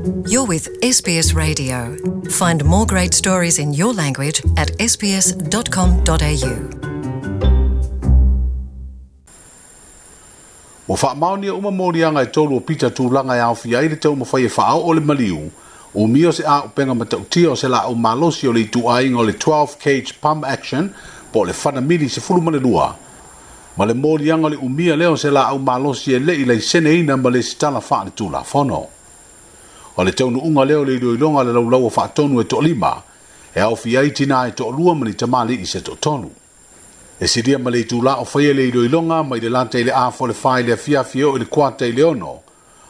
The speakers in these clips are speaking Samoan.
You're with SBS Radio. Find more great stories in your language at sbs.com.au. Ua faamaonia uma moliaga e tolu o Pita tulaga e aofia ai le taumafai e faaoo le maliu, umia o se auupega matautia o se laau malosi o le ituaiga o le 12 gauge pump action po o le fana mili 12, ma le moliaga o le umia lea o se laau malosi e le i laiseneina ma lesitala faaletulafono. O le taunuuga lea o le iloiloga a le laulau a faatonu e toalima, e aofia ai tinā e toalua ma ni tamalii se toatolu. E silia ma le itulā o faia le iloiloga mai le lata i le afa o le fa i le afiafi e oo i le kuata i le ono,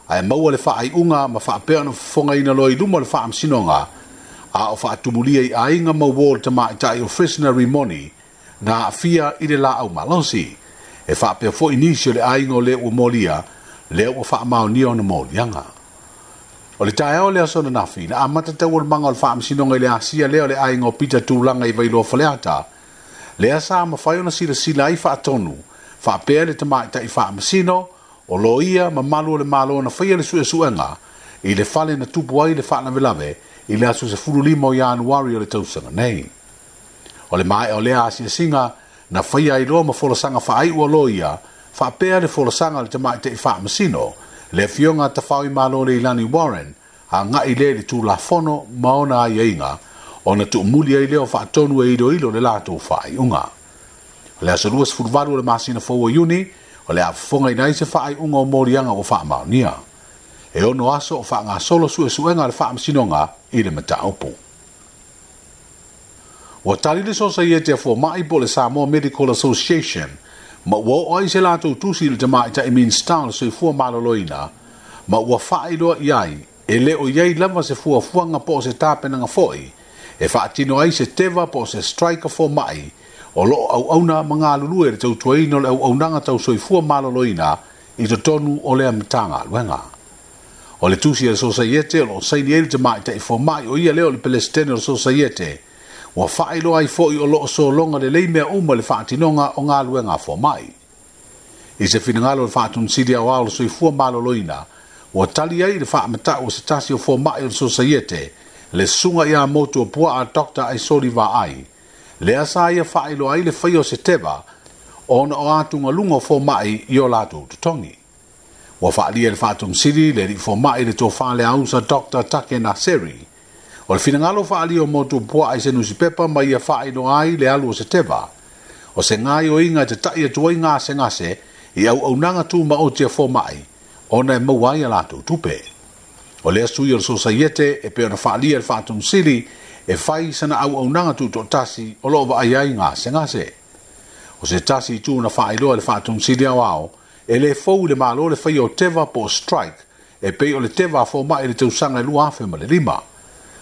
ae maua le faaiuga ma faapea ona fofogaina loa i luma o le faamasinoga, a o faatumulia i aiga ma uo o le tamaitai o Frisner Rimoni na aafia i le laau malosi. E faapea foi nisi o le aiga o le ua molia, lea ua faamaonia ona moliaga. O le taeao o le aso ananafi, na amata taualumaga o le faamasinoga i le asia lea o le aiga o Pita Tulaga i Vailoa Faleata, lea sa mafai ona silasila ai faatonu, faapea le tamaitai faamasino, o loia ma malu o le Malo na faia le suesuega i le fale na tupu ai le faalavelave i le aso 15 o Ianuari o le tausaga nei. O le maea o lea asiasiga, na faia ai loa ma folasaga faaiu a loia, faapea le folasaga a le tamaitai faamasino, le Afioga a Tafaoimalo Leilani Warren, agai lea i le Tulafono ma ona aiaiga, ona tuumuli ai lea o faatonu e iloilo le latou faaiuga. O le aso 28 o le masina fou o Iuni, o le a fofogaina ai se faaiuga o moliaga ua faamaonia. E ono aso o faagasolo suesuega a le faamasinoga i le mataupu. Ua tali le Sosaiete a Fomai po o le Samoa Medical Association ma ua oo ai se latou tusi i le tamaitai Minisita o le Soifua Maloloina ma ua faailoa i ai e le o i ai lava se fuafuaga po o se tapenaga foi e faatino ai se teva po o se strike a fomai o lo o auauna ma galulue i le tautuaina o le auaunaga tau soifua maloloina i totonu o lea Matagaluega. O le tusi a le Sosaiete o lo o saini ai le tamaitai fomai o ia lea o le Pelesitene o le Sosaiete, ua faailoa ai foi o lo o sologa lelei mea uma i le faatinoga o galuega a fomai. I se finagalo o le Faatonesili Aoao o le Soifua Maloloina, ua tali ai i le faamatau o se tasi o fomai o le Sosaiete, le susuga ia Motuopuaa Doctor Aisoli Vaai, lea sa ia faailoa ai le faia o se teva ona o atugaluga o fomai i o latou totogi. Ua faaalia e le Faatonesili le alii fomai le tofa le ausa Doctor Take Naseri. O le finagalo faaalia o Motuopuaa i se nusipepa ma ia faailoa ai le alu o se teva, o se gaoioiga e tata'i atu ai gasegase i auaunaga tumaoti a fomai ona e maua ai a latou tupe. O lea sui o le Sosaiete e pei ona faaalia e le Faatonesili e fai sana auaunaga tutoatasi o lo o vaai ai gasegase. O se tasi itu na faailoa e le Faatonesili Aoao, e le fou i le Malo le faia o teva po o strike e pei o le teva a fomai i le tausaga e 2005.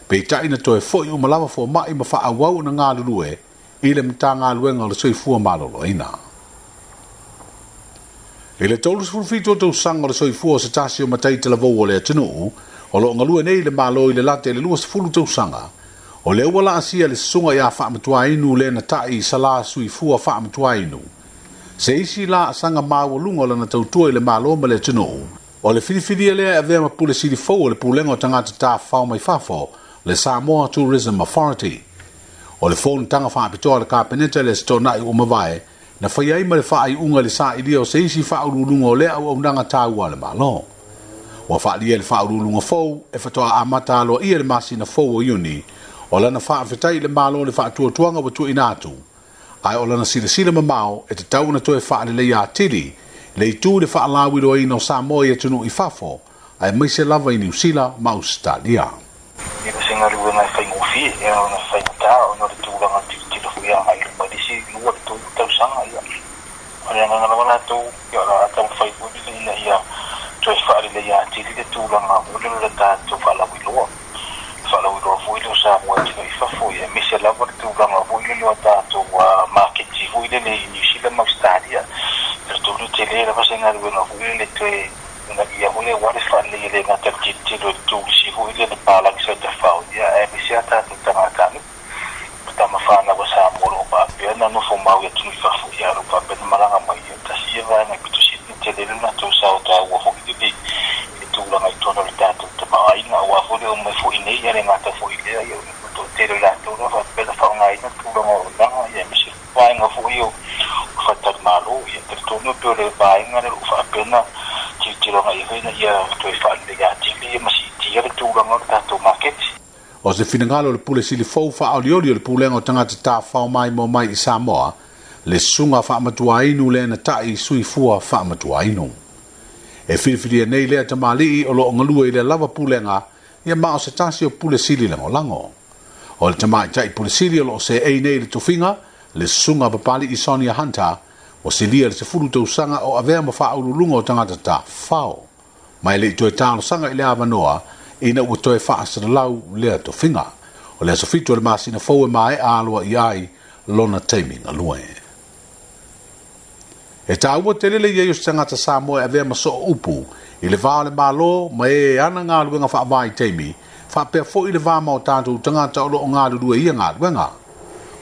Peitai na toe foi uma lava fomai ma faaauau ona galulue i le Matagaluega o le Soifua Maloloina. I le 37 o tausaga o le soifua o se tasi o matai talavou o le atunuu, o lo o galue nei i le Malo i le lata i le 20 tausaga, o lea ua laasia le susuga ia Faamatuainu Lenatai Sala Suifua Faamatuainu, se isi laasaga maualuga o lana tautua i le Malo ma le atunuu. O le filifilia lea e avea ma pule sili fou o le Pulega o Tagata Tafafao mai Fafo, le Samoa Tourism Authority. O le fonotaga faapitoa a le Kapeneta i le Aso Toonai ua mavae, na faia ai ma le faaiuga i le sailia o se isi faauluuluga o lea auaunaga taua a le Malo. Ua faaalia e le faauluuluga fou e faatoa amata aloaia i le masina fou o Iuni, o lana faafetai i le Malo i le faatuatuaga ua tuuina atu, ae o lana silasila mamao e tatau ona toe faaleleia atili le itu i le faalauiloaina o Samoa i atunuu i fafo, aemaise lava i Niu Sila ma Ausetalia. E le o se galuega e faigofie, e ao ona faigata ona o le tulaga tilotilo foi agai i luma i le isi lua i le tolu tausaga. Ia, o le agaga lava latou, ia, o le a taumafai foi lele ina ia toe faaleleia atili le tulaga foi lele o le tatou faalauiloa. Faalauiloa foi lea o Samoa e tino i fafo, ia, aemaise lava le tulaga foi lele o a tatou maketi foi lele i Niu Sila ma Ausetalia. Talitonu e tele lava se galuega foi lele toe ina ia foi aua le faaleleia e le gata i le tilotilo i le turisi foi lea le palagi sa tafao, ia, aemaise a tatou tagatanuu ma tama fanau a Samoa o lo o faapea ona nofo mau i atunuu i fafo, ia, o lo o faapea ona malaga mai. Ia, tasi ia vaega e pito sili ona tele le latou sao taua foi lele i le tulaga i totonu o le tatou tamaoaiga. tamaoaiga aua foi le omai foi iinei, ae le gata foi i lea, ia o le toatele o i latou lea faapea ona faaaogaina le tulaga o auaunaga, ia aemaise vaega foi ia o faletalimalo. Ia talitonu e pei o le vaega lea o lo o faapea ona tilotilo agai i ai foi ina ia toe faaleleia atili ma siitia le tulaga o le tatou maketi. O se finagalo o le Pule Sili fou faaolioli o le Pulega o Tagata Tafafao Maimoa Mai i Samoa, le Susuga Faamatuainu Lenatai Suifua Faamatuainu. E filifilia nei lea tamalii o lo o galue i lea lava pulega, ia ma o se tasi o Pule Sili lagolago. O le tamaitai Pule Sili o lo o seei nei i le tofiga, le Susuga Papali'i Sonia Hunter, ua silia le 10 tausaga o avea ma faauluuluga o tagata tafafao. Ma e le i toe talosaga i le avanoa ina ua toe faasalalau lea tofiga. O le aso 7 o le masina fou e maea aloaia ai lona taimi galue. E taua tele le i ai o se tagata Samoa e avea ma soo upu i le va o le Malo ma e ana galuega faavaitaimi, faapea foi le va ma o tatou tagata o lo o galulue i ia galuega.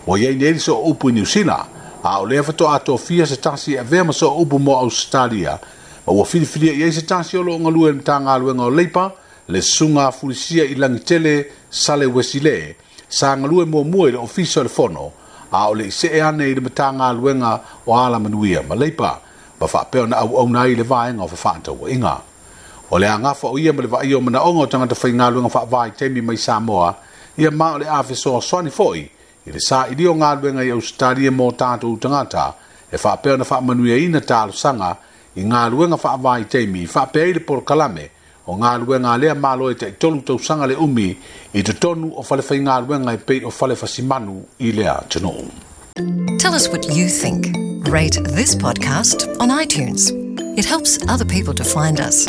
Ua i ai nei le soo upu i Niu Sila, a o lea faatoa tofia se tasi e avea ma soo upu mo Ausetalia, ma ua filifilia i ai se tasi o lo o galue i le Matagaluega o Leipa, le Susuga a Fulisia i Lagitele Sale Uesile, sa galue muamua i le Ofisa o le Fono, a o le i see ane i le Matagaluega o Alamanuia ma Leipa, ma faapea ona auauna ai i le vaega o fefaatauaiga. O le agafa o ia ma le vaaia o manaoga o tagata faigaluega faavaitaimi mai Samoa, ia ma o le a fesoasoani foi i le sailia o galuega i Ausetalia mo tatou tagata, e faapea ona faamanuiaina talosaga i galuega faavaitaimi, faapea ai le polokalame o galuega a lea Malo e tai-3 tausaga le umi i totonu o fale faigaluega e pei o fale fasimanu i lea atunuu. Tell us what you think. Rate this podcast on iTunes. It helps other people to find us.